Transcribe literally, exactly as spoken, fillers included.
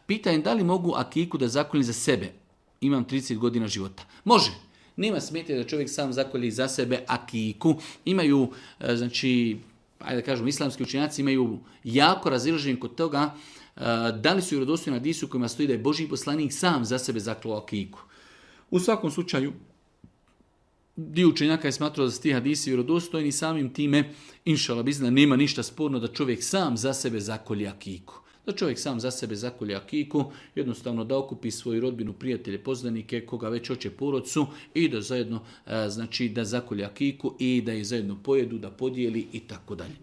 Pitanje da li mogu akiku da zakoljem za sebe. Imam trideset godina života. Može. Nema smetnje da čovjek sam zakolji za sebe akiku. Imaju, znači, ajde da kažem, islamski učenjaci imaju jako razilaženje kod toga da li su vjerodostojni hadisi u kojima stoji da je Božji poslanik sam za sebe zaklao akiku. U svakom slučaju, dio učenjaka je smatrao da su ti hadisi vjerodostojni, samim time, inšala bizna, nema ništa sporno da čovjek sam za sebe zakolje akiku. Da čovjek sam za sebe zakolje akiku, jednostavno da okupi svoju rodbinu, prijatelje, poznanike, koga već hoće porodcu i da zajedno, znači da zakolje akiku i da je zajedno pojedu, da podijeli i tako dalje.